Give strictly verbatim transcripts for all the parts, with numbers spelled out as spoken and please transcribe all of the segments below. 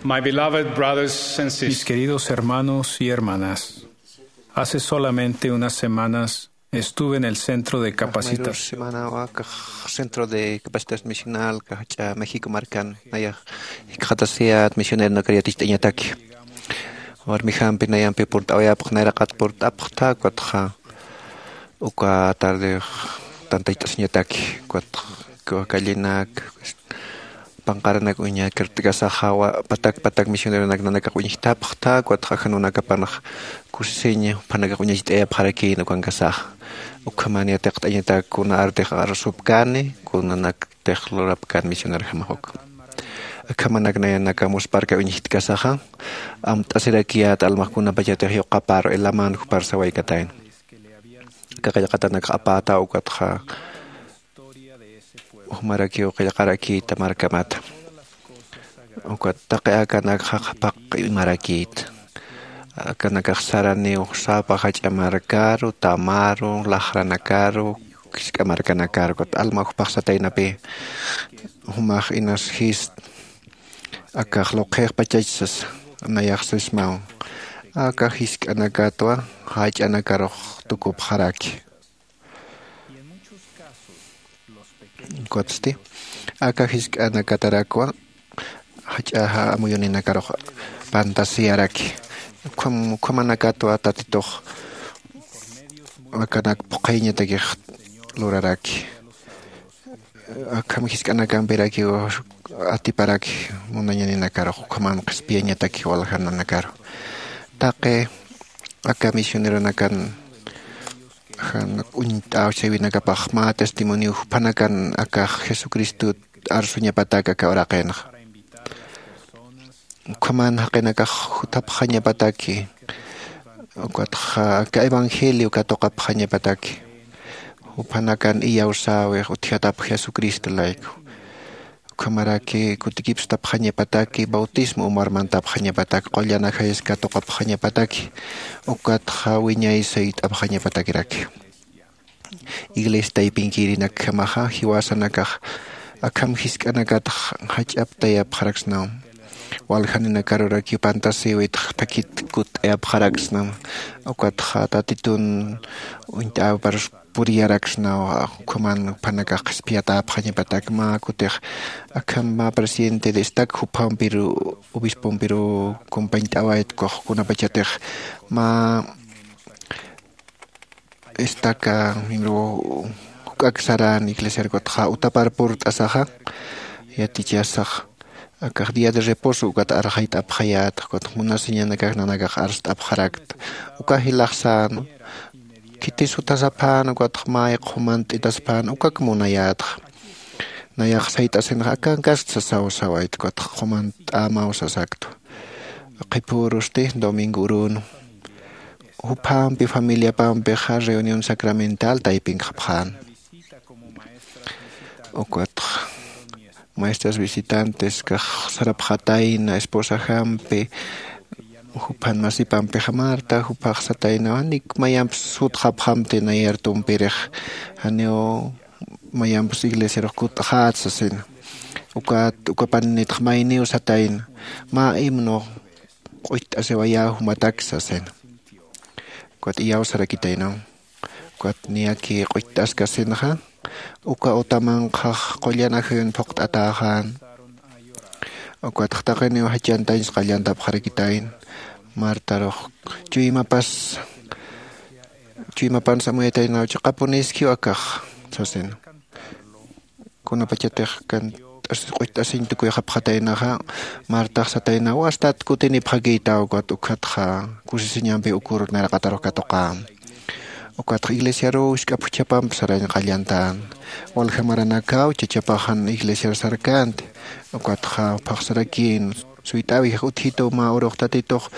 My beloved brothers and Mis sisters, queridos hermanos y hermanas, hace solamente unas semanas estuve en el centro de Ajmayrus capacitación. Semana wakax centro de capacitación misional kajach'a México markan naya jikxatasiyat misioneronakar yaticht'añataki. Warmijampi nayampi purt'awayapx nayraqat purt'apxta, ukatxa uka tardex tantayt'asiñataki, ukatxa kallinak panqaranak uñakirt'kasaxa, patak patak misioneronak nanakax uñjtapxta, ukatxa jan nanakapanx kusisiñ juphanakax uñacht'ayapxarakïn ukankasaxa. Ukhaman yatiqt'añatak kuna artix arsupkani, kunanak tix lurapkän misionerjamax uka. Akhamanak nayanaka muspharka uñjtkasaxa, amt'asirakiyät almax kunapachatix yuqaparu ilaman jupar sawaykatayna. Aka qillqatanakxa apätaw ukatxa jumarakiw qillqarakïta markamata. Ukat taqi akanakxa qhapaq imarakïta. Akanakax saraniw sapa jach'a markaru, tamaru, laxranakaru, jisk'a markanakaru, ukat alma jupax sataynapï, jumax inas jist, akax luqhix pachach sasa, nayax sismaw. Aka jisk'anakatwa jach'anakarux tukupxaraki. Ukatsti aka jisk'anakatarakwa jach'axa amuyuninakarux pantasiyaraki. Ukham ukhamanakatwa Tatitux akanak phuqhiñatakix luraraki. Akham jisk'anakampirakiw atiparaki munañaninakarux, ukhaman qhispiyañataki waljananakaru. Taqi aka misioneronakan jan uñt'äw chawinakapax mä testimonio juphanakan akax Jesucristot arsuñapatak aka uraqinxa. Ukhaman jaqinakax jutapxañapataki, ukatxa aka evangelio katuqapxañapataki, juphanakan iyawsäwix utjatapx Jesucristo layku. Ukhamaraki kutikipstapxañapataki, bautismo umar mantapxañapatak, qullan ajayas katuqapxañapataki, ukatxa wiñay sayt'apxañapatakiraki. Iglesia taypinkirinak jamaxa jiwasanakax akham jisk'anakatx jach'aptayapxaraksnaw. Waljaninakarurak yupantasïwitx thakit kutt'ayapxaraksnaw. Ukatxa Tatitun uñt'äwipar puriyaraksnaw, ukhaman juphanakax qhispiyatäpxañapatak. Mä kutix akham mä presidente de estaca juphampiru, obispompiru compañt'awaytkux kunapachatix mä estaca miembro juk'ak saran iglesiar ukatxa utapar purt'asaxa, yatichasax akax día de reposo ukat arxayt'apxayätxa, ukatx munasiñanakax nanakax arst'apxarakta. Uka jilaxsän khitis jutasaphän ukatx may qhumant'itasaphän ukak munayätxa. Nayax sayt'asinxa akankast sasaw sawayta, ukatx qhumant'ämaw sasaktwa. Qhipürusti domingo urünu juphampi familiapampixa reunión sacramental taypinkxapxän. Ukatx maestras visitantes kax sarapxatayna esposajampi, juphan masipampixa Marta, jupax satayna, janik mayampis sutxapxamti nayar tumpirix, janiw mayampis iglesiarux kutt'xät sasina. Ukat ukapaninitx mayniw satayna, mä himno q'ucht'asiwayä jumatak sasina. Ukat iyawsarakitaynaw. Ukat niyaki q'ucht'askasinxa, uka utamanxax qullan ajayun phuqt'atäxän. Ukatx taqiniw jachantañs qallantapxarakitayna. Martarux chuymapas, chuymapansa amuyataynaw, chiqapuniskiw akax sasina. Kunapachatix kant'as q'ucht'asiñ tukuyxapxataynaxa, Martax sataynaw, wastat kutinipxakïtaw, ukat ukhatxa kusisiñampi ukur nayraqatarux katuqän. Ukatxa iglesiaruw jisk'a phuchhapamp sarañ qallantän. Walja maranakaw chachapaxan iglesiar sarkänti. Ukatxa phaxsarakïn, suyt'äwix utjituw mä urux Tatitux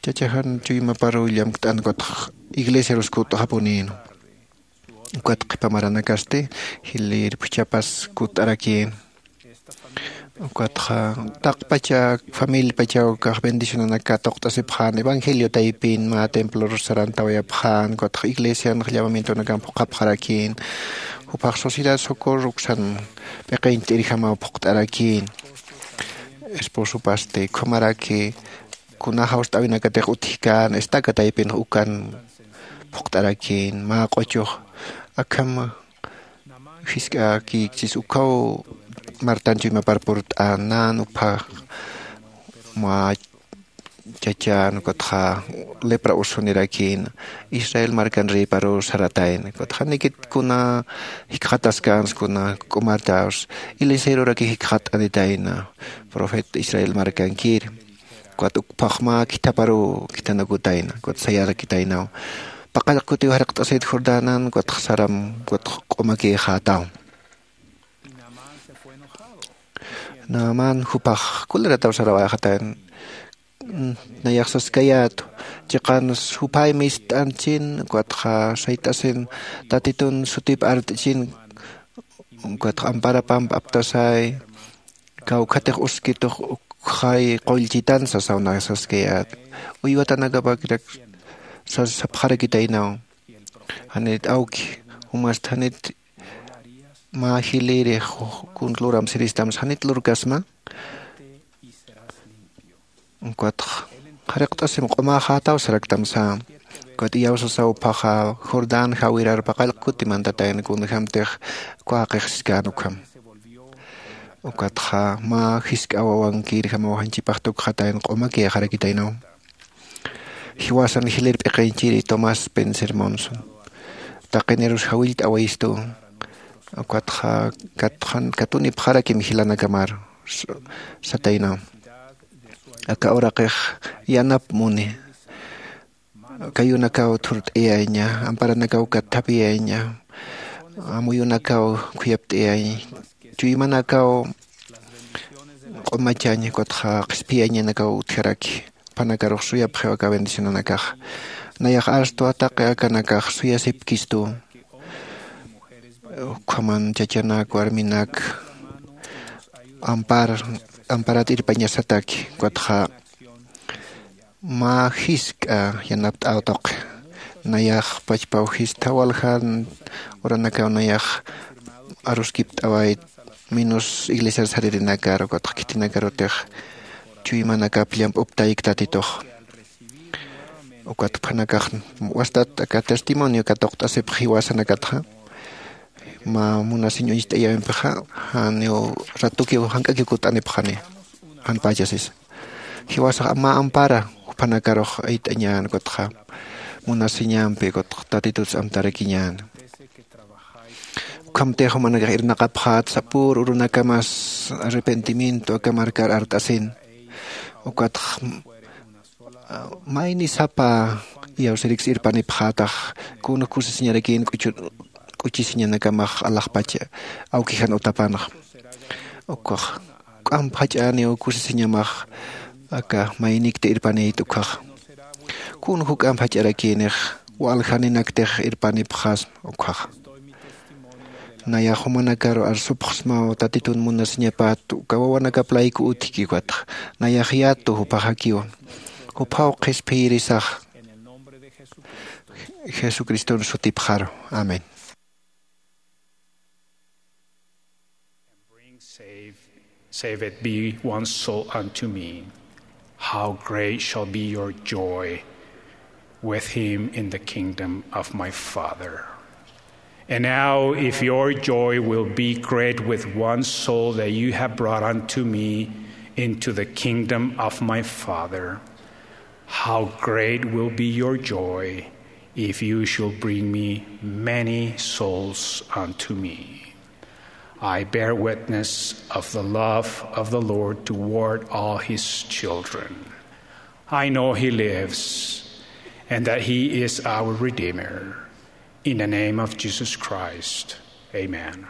chachajan chuymaparuw llamkt'an, ukatxa iglesiarus kutt'xapunïnwa. Ukat qhipa maranakasti jilïr phuchhapas kutt'arakïn. Ukatxa taqpacha familiapachaw kax bendicionanak katuqt'asipxän, evangelio taypin mä templorus sarantawayapxän, ukatxa iglesianx llamamientonakamp phuqhapxarakïn. Jupax Sociedad Socorro uksan p'iqiñt'irjamaw phuqt'arakïn. esposopasti ukhamaraki kuna jawst'äwinakatix utjkän estaca taypinx ukan phuqt'arakïn mä q'uchux. Akham jisk'äkïkchis ukhaw martan chuymapar purt'an nän uphax mä chachan ukatxa lepra usunirakin israel markan rïparuw saratayna. Ukatxa janikit kuna jikxataskänsa kuna k'umartäwsa eliseoraki jikxat'anitayna profeta israel markankir. Ukat ukphax mä khithaparuw khithanakutayna ukat sayarakitaynaw paqallq kutiw jarqt'asit jordanan ukatxa saram ukatxa q'umakïxätaw. Naamán jupax kulerataw sarawayxatayna. Nayax saskayätu chiqans juphay mist'anchin ukatxa sayt'asin tatitun sutip art'chin ukatxa amparapamp aptasay kawkhatix uskitux ukxay qullchitan sasaw nayax saskayätu. Uywatanakapakirak sas sapxarakitaynaw. Janit awki jumast janit mä jilïrix kun luram siristam janit lurkasma? Ukatx qhariqt'asim q'umäxätaw saraktam sä. Ukat iyawsasaw phaxa jordán jawirar paqallq kuti mantatayna kunjämtix uka jaqix siskän ukham. Ukatxa mä jisk'a wawankirjamaw janchipax tukxatayna q'umakïxarakitaynaw. Jiwasan jilïr p'iqinchiri tomás spencer monson taqinirus jawillt'awayistu. Ukatxa katunipxarakim jilanakamaru sataynaw. Aka uraqix yanap muni kayunakaw thurt'iyaña amparanakaw katthapïyaña amuyunakaw khuyapt'iyaña chuymanakaw q'umachaña ukatxa qhispiyañanakaw utjaraki. Juphanakarux suyapxiw aka bendicionanakax. Nayax arstwa taqi akanakax suyasipkistu. Ukhaman chachanak warminak ampar amparat irpañasataki ukatxa mä jisk'a yanapt'äw tuqi. Nayax pachpaw jistha waljan uranakaw nayax aruskipt'awayt minus iglesiar saririnakar ukatxa khitinakarutix chuymanakap llamp'uptayki tatitux. Ukat juphanakax wastat aka testimonio katuqt'asipx jiwasanakatxa mä munasiñ uñst'ayäwimpixa janiw ratukiw jank'akiw kut'anipxani. Janpächasisa jiwasax mä ampara juphanakarux ayt'añän ukatxa munasiñampi ukatxa tatituts amtarakiñän. Ukhamtix jumanakax irnaqapxät sapür urunakamas arrepentimiento aka markar art'asin. Ukatx mayni sapa iyawsiriksa irpanipxätax kun kusisiñarakïn k'uchisiñanakamax alaxpacha awkijan utapanxa. Ukkhax juk'amp jach'äniw kusisiñamax aka maynikti irpanït ukkhaxa. Kun juk'amp jach'arakïnix waljaninaktix irpanipxasma ukkhaxa. Nayax jumanakaru arsupxsmaw tatitun munasiñapat uka wawanakap layku utjki ukatxa nayax yatu jupaxakiwa. Juphaw qhispiyirisax jesucriston sutipxaru. Amén. Bring save, save it be one soul unto me. How great shall be your joy with him in the kingdom of my Father. And now, if your joy will be great with one soul that you have brought unto me into the kingdom of my Father, how great will be your joy if you shall bring me many souls unto me. I bear witness of the love of the Lord toward all his children. I know he lives and that he is our Redeemer. In the name of Jesus Christ, amen.